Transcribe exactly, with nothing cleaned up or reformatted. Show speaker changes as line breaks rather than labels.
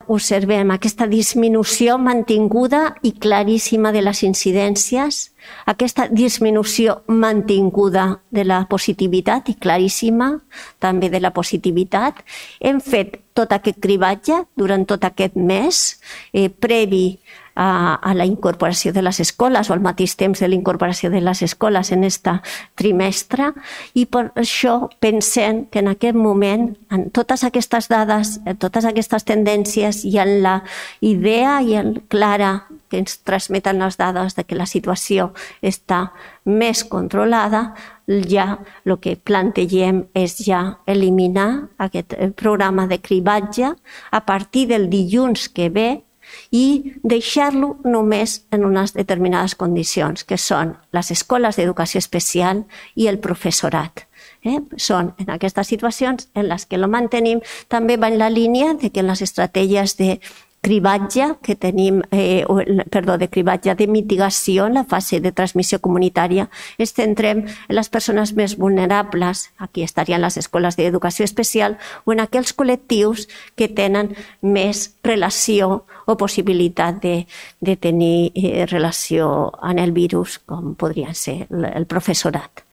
observem aquesta disminució mantinguda i claríssima de les incidències, aquesta disminució mantinguda de la positivitat i claríssima també de la positivitat. Hem fet tot aquest cribatge durant tot aquest mes, eh, previ a, a la incorporació de les escoles o al mateix temps de la incorporació de les escoles en aquest trimestre, i per això pensem que en aquest moment, en totes aquestes dades, en totes aquestes tendències i en la idea i en clara que ens transmeten les dades de que la situació està més controlada, ja el que plantegem és ja eliminar aquest programa de cribatge a partir del dilluns que ve i deixar-lo només en unes determinades condicions, que són les escoles d'educació especial i el professorat. Eh? Són en aquestes situacions en les que lo mantenim. També va en la línia de que les estratègies de cribatge que tenim, eh, perdó, de cribatge de mitigació en la fase de transmissió comunitària, ens centrem en les persones més vulnerables, aquí estarien les escoles d'educació especial, o en aquells col·lectius que tenen més relació o possibilitat de, de tenir eh, relació amb el virus, com podria ser el professorat.